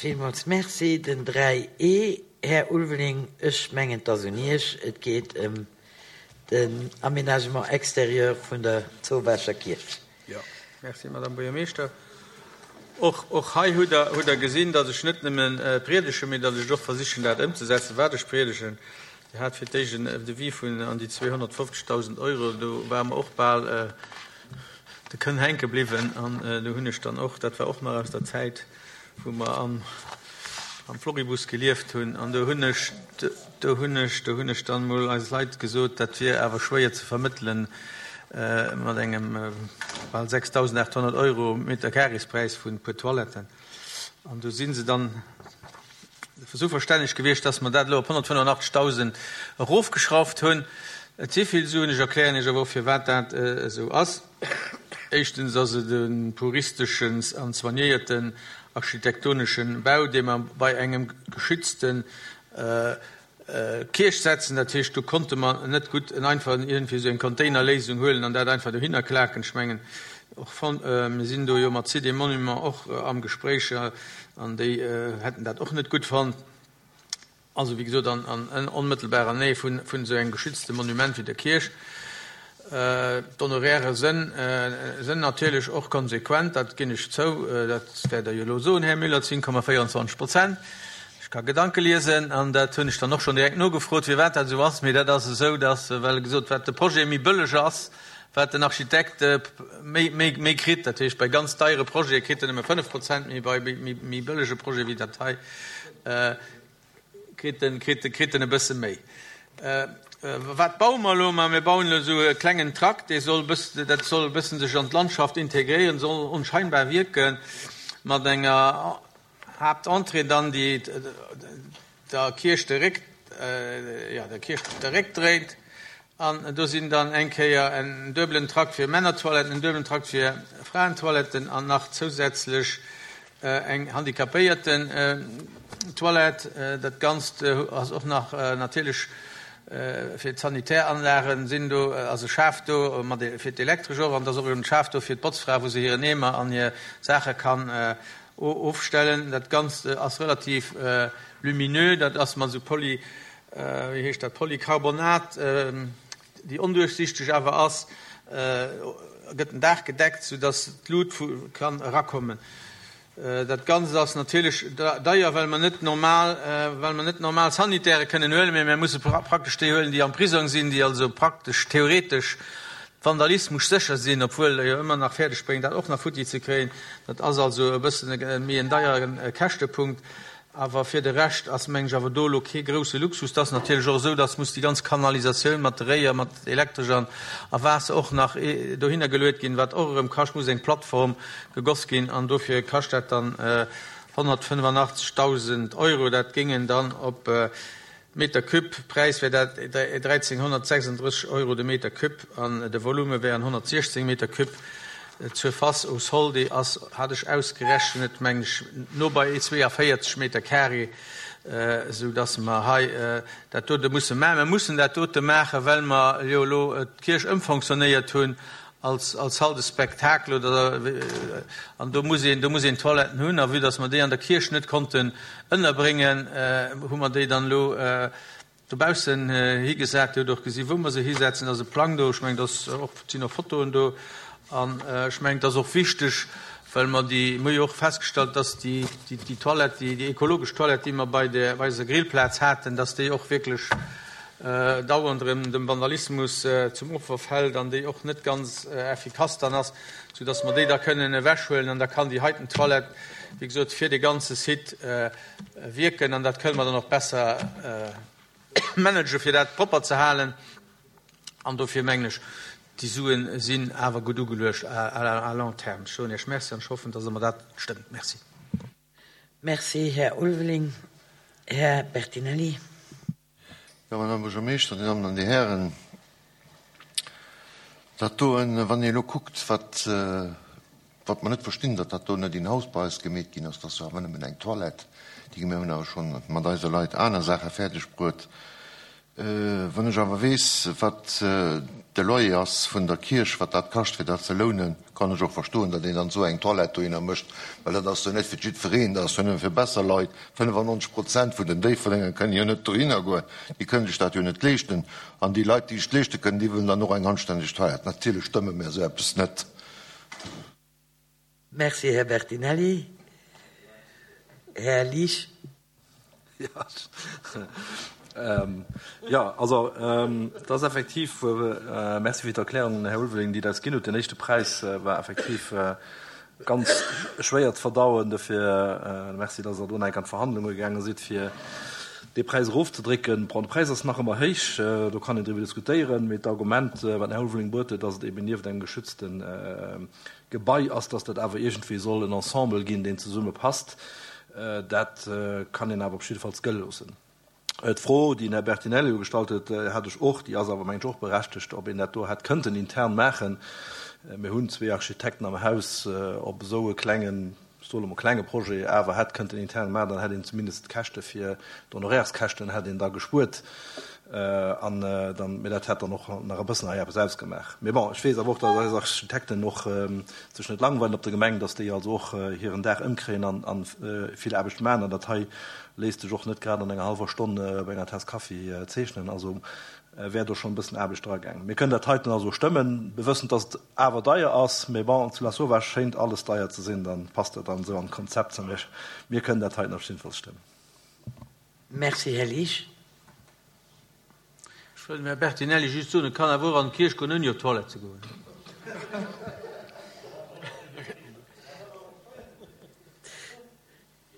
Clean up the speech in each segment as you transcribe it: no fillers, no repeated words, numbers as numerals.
Villmools Merci. Den 3 E, Här Ulveling, ech mengen, et ass un Iech. Et geet ëm den Aménagement extérieur vun der Zowaacher Kierch. Jo, merci, Madame Buergermeeschter. Och, och hei hutt Der, hutt Der gesinn, datt ech net nëmme priedegen, mee datt ech et och versichen, dat ëmzesetzen, wat ech priedegen. Dir hat fir d'éischt en Devis vun an déi 250.000 Euro, do ware mer och bal de Kënn hänke bliwwen. An do hunn ech dann och, dat war och nach aus der Zäit, wou mer am, am Floribus gelieft hunn, an do hunn ech, do hunn ech, do hunn ech dann emol eis Leit gesot, dat wier awer schwéier ze vermëttelen mat engem bal 6.800 Euro Meterkarespräis vun e puer Toiletten. An do si se dann esou verstänneg gewiescht, dass mer dat elo op 185.000 erofgeschrauft hunn. Et si vill Suen. Ech erklären Iech awer och, firwat dat esou ass. Éischtens ass et e puristeschen an soignéierten architektonesche Bau, dee mer bei engem geschützte Kierch setzen. Dat heescht, do konnte mer net gutt en einfachen iergendwéi esou eng Containerléisung huelen an dat einfach dohinner klaken. Ech mengen och, mir sinn do jo mat Sites et Monuments och am Gespréich an déi hätten dat och net gutt fonnt. Also, wéi gesot, an onmëttelbarer Nähe vun esou engem geschützte Monument wéi der Kierch. D'Honorairë sënn natierlech och konsequent, dat ginn ech zou, dat wäert Der jo elo soen, Här Müller, 10,24 Prozent. Ech ka Gedanke liesen an dat hunn ech dann och schonn direkt nogefrot, firwat dat esou ass. Mee dat ass esou, dass, well gesot, wat de Projet méi bëlleg ass, wat den Architekt méi, méi, méi kritt. Dat heescht, bei ganz deiere Projete kritt en nëmme 5 Prozent, mee bei méi bëllege Projete wéi dat hei, kritt en, kritt, kritt en e bësse méi. Wat baue mer elo? Ma mir bauen elo esou e klengen Trakt, dee soll e bëss, dat soll e bëssen sech an d'Landschaft integréieren, soll onscheinbar wierken, mat enger Haaptentrée dann, déi der Kierch de Réck, jo, der Kierch de Réck dréit. An do sinn dann eng Kéier en duebelen Trakt fir Männertoiletten, en duebelen Trakt fir Fraentoiletten an nach zousätzlech eng Handicapéierten-Toilette. Dat Ganzt ass och nach natierlech fir d'Sanitäranlagen sinn do, ass e Schaf do mat fir d'Elektresch och an et ass och en Schaf do fir d'Botzfra, wou se hiren Eemer an hir Saache kann ofstellen. Dat Ganzt ass relativ lumineux, dat ass mat esou Poly, wéi heescht dat, Polycarbonat, déi onduerchsichteg awer ass, gëtt den Daach gedeckt, soudass d'Lut kann erakommen. Dat Ganzt ass natierlech deier, well mer net normal, well mer net normal Sanitäre kënnen huelen, mee mir musse praktesch déi huelen, déi am Prisong sinn, déi also praktesch theoretesch Vandalismus sécher sinn, obwuel der jo ëmmer nach fäerdeg bréngt, dat och nach futti ze kréien. Dat ass also e bëssen méi en deiere Käschtepunkt. Awer fir de Rescht ass, mengen ech, awer do elo kee grousse Luxus. Et ass natierlech och esou, dass muss déi ganz Kanalisatioun mat de Réier, mat Elektresch an a Waasser och nach dohinner geluet ginn, wat och erëm kascht, muss eng Plattform gegoss ginn an dofir kascht dat dann 185.000 Euro. Dat géingen dann op Meter Cube Präis wär dat 1.336 Euro de Meter Cube an de Volume wären 116 Meter Cube. D'Surface au sol, déi ass, hat ech ausgerechnet, mengen ech, no bei 42 Meter carré, esou dass mer hei dat dote musse maachen. Mer mussen dat dote maachen, well mer jo elo d'Kierch ëmfonctionnéiert hunn als als Salle de spectacle oder an do muss een do muss een Toiletten hunn a vue dass mer déi an der Kierch net konnten ënnerbréngen, hu mer déi dann elo dobaussen higesat. Dir hutt och gesi wou mer se hisetzen, et ass e Plang do, ech mengen et ass och, et sinn och Fotoen do an ech mengen et ass och wichteg, well mer déi, mir hu jo och festgestallt, dass déi déi Toilette, déi déi ekologesch Toilette, déi mer bei der bei eiser Grillplaz haten, dass déi och wierklech dauernd erëm dem Vandalismus zum Opfer fält an déi och net ganz effikass dann ass, soudass mer déi da kënnen ewechhuelen an da kann déi heiten Toilette, wéi gesot, fir de ganze Site wierken an dat kënne mer dann och besser managen, fir dat propper ze halen. An dofir mengen ech, déi Sue sinn awer gutt ugeluecht à long terme. Ech soen Iech Merci an ech hoffen, dass Der mer dat stëmmt. Merci. Merci, Här Ulveling. Här Bertinelli. Jo, Madame Buergermeeschter, Dir Dammen an Dir Hären, dat doen, wann ee elo kuckt, wat, wat mer net verstinn, datt dat do net in house bei eis gemeet ginn ass, dat ass jo awer nëmmen eng Toilette, déi mir hunn awer schonn mat eise Leit aner Saache fäerdeg bruet. Wann ech awer weess, wat de Loyer ass vun der Kierch, wat dat kascht, fir dat ze lounen, kann ech och verstoen, datt een dann esou eng Toilette dohinner mécht, well dat ass jo net fir jiddwereen, dat ass jo nëmme fir besser Leit. 95 Prozent vun den Déifferdenger kënnen jo net dohinner goen, déi kënnen sech dat jo net leeschten. An déi Leit, déi sech et leeschte kënnen, déi wëllen dann och eng anstänneg Toilette. Natierlech stëmme mär esou eppes net. Merci, Här Bertinelli. Här Liesch. Jo, also et ass effektiv, Merci fir d'Erklärung, Här Ulveling, déi Der eis ginn hutt. Den éischte Präis war effektiv ganz schwéier ze verdauen. Dofir Merci, dass Der do nach eng Kéier an d'Verhandlunge gaange sidd, fir dee Präis erofzedrécken. Bon, de Präis ass nach ëmmer héich, do kann een driwwer diskutéieren. Mee d'Argument, wat den Här Ulveling bruet huet, dass et eben nieft engem geschützte Gebai ass, dass dat awer iergendwéi soll en Ensemble ginn, deen zesumme passt, dat kann een awer op jiddefalls gëlle loossen. D'Fro, déi den Här Bertinelli elo gestallt huet, hat ech och, déi ass awer, mengen ech, och berechtegt, ob een dat do hätt kënnten intern maachen. Mir hunn zwee Architekten am Haus, ob esou e klengen, ech soe lo mol klenge Projet awer hätt kënnten intern maachen, dann hätt een zumindest d'Käschte fir d'Honorairskäschten hätt een da gespuert. An dann, mee dat hätt dann och nach e bëssen hei eppes ausgemaach. Mee bon, ech weess awer och, datt eis Architekten och sech net langweilen op der Gemeng, datt déi also och hiren Dag ëmkréien an a vill Aarbecht maachen. An dat hei léisst sech och net grad an enger hallwer Stonn bei enger Taass Kaffi zeechnen. Also wär do schonn e bëssen Aarbecht dragaangen. Mir kënnen dat heiten also stëmmen, bewëssend, datt et awer deier ass. Mee bon, zu Lasauvage schéint alles deier ze sinn, dann passt dat dann esou an d'Konzept. Mir kënnen dat heiten op jiddefalls stëmmen. Merci, Här Liesch. Ech wëll dem Här Bertinelli just soen, e kann awer och an d'Kierch goen, ouni op d'Toilette ze goen.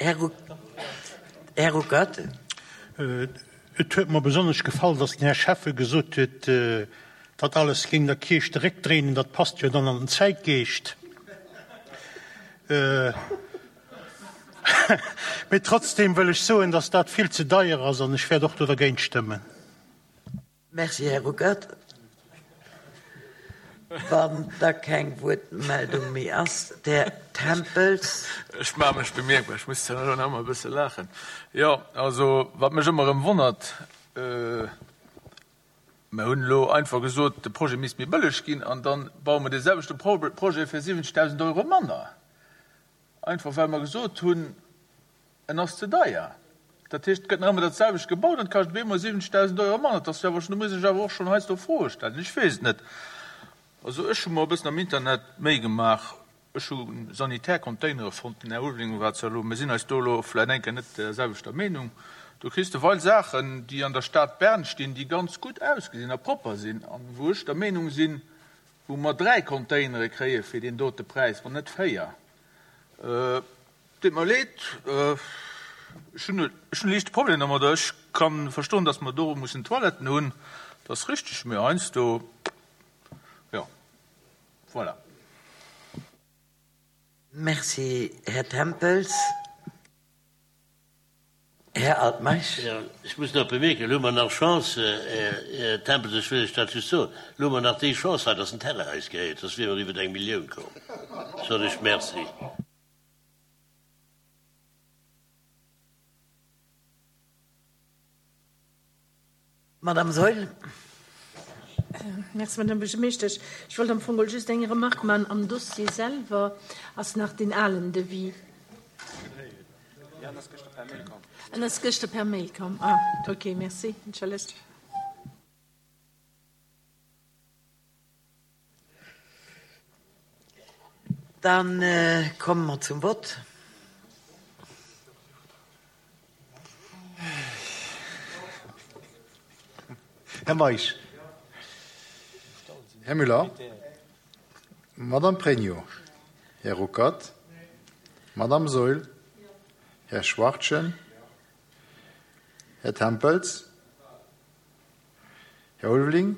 Här Ruckert. Et huet mer besonnesch gefall, dass den Här Schäffe gesot huet, dat alles géing der Kierch de Réck dréinen. Dat passt jo dann an den Zäitgeescht. Mee trotzdem wëll ech soen, dass dat vill ze deier ass an ech wäert och do dergéint stëmmen. Merci, Här Ruckert. Wann da keng Wuertmeldung méi ass, Här Tempels. Ech maache mech bemierkbar, ech muss zwar elo nach ëmmer e bësse laachen. Jo, also wat mech ëmmer erëm wonnert, mer hunn elo einfach gesot, de Projet misst méi bëlleg ginn an da baue mer dee selwechte Projet fir 70.000 Euro manner. Einfach well mer gesot hunn, en ass ze deier. Dat heescht, et gëtt nach ëmmer dat selwecht gebaut an et kascht op eemol 70.000 Euro manner. Dat ass jo awer schonn, do muss ech awer och schonn heiansdo Froe stellen. Ech weess et net. Also ech hu mer e bëssen am Internet Méi gemaach. Ech hu sanitär Containere fonnt. Den Här Ulveling war zwar elo, mir sinn eis do elo vläicht eng Kéier net der selwechter Meenung. Do kriss de weil Saachen, déi an der Stad Bern stinn, déi ganz gutt ausgesinn a propper sinn an wou ech der Meenung sinn, wou mer 3 Containere kréie fir deen dote Präis, wann net 4. Deet mer leed, ech hunn e liichte Problem domadder. Ech ka verstoen, datt mer do mussen Toiletten hunn, dat ass richteg, mee heiansdo, jo, voilà. Merci, Här Tempels. Här Altmeisch. Jo, ech muss nach bemierken, elo hu mer nach Chance, Här Tempels, ech wëll lech dat just soen, elo hu mer nach déi Chance hei, dass den Terrain eis gehéiert, soss wiere mer iwwer eng Millioun komm. Soen ech Merci. Madame Saeul. Merci, Madame Buergermeeschtesch. Ech wollt am Fong geholl just eng Remarque maachen. Am Dossier selwer ass nach deen alen Devis. En ass gëschter per Mail komm. Ah, okay, merci. Entschëllegt. Dann komme mer zum Vott. Här Meisch. Här Müller. Madame Pregno. Här Ruckert. Madame Saeul. Här Schwachtgen. Här Tempels. Här Ulveling.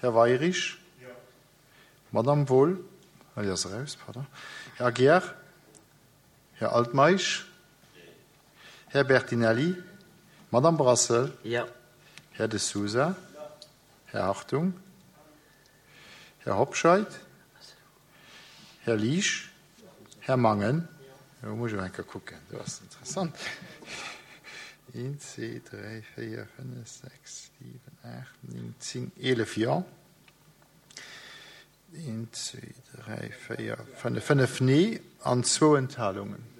Här Weirich. Madame Wohl. Ah, déi ass eraus, pardon. Här Aguiar. Här Altmeisch. Här Bertinelli. Madame Brassel. Jo. Här De Sousa. Här Hartung. Här Hobscheit. Här Liesch. Här Mangen. Elo muss ech awer eng Kéier kucken, do ass interessant. Eent, zwee, dräi, véier, fënnef, sechs, siwen, aacht, néng, zéng, 11 Jo. Eent, zwee, dräi, véier, fënnef, fënnef Nee an zwou Enthalungen.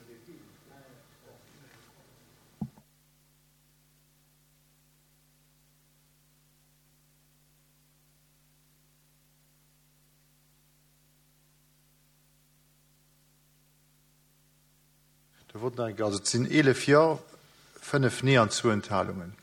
De Vote nach eng Kéier. Also et sinn 11 Jo, 5 Nee an zwou Enthalungen.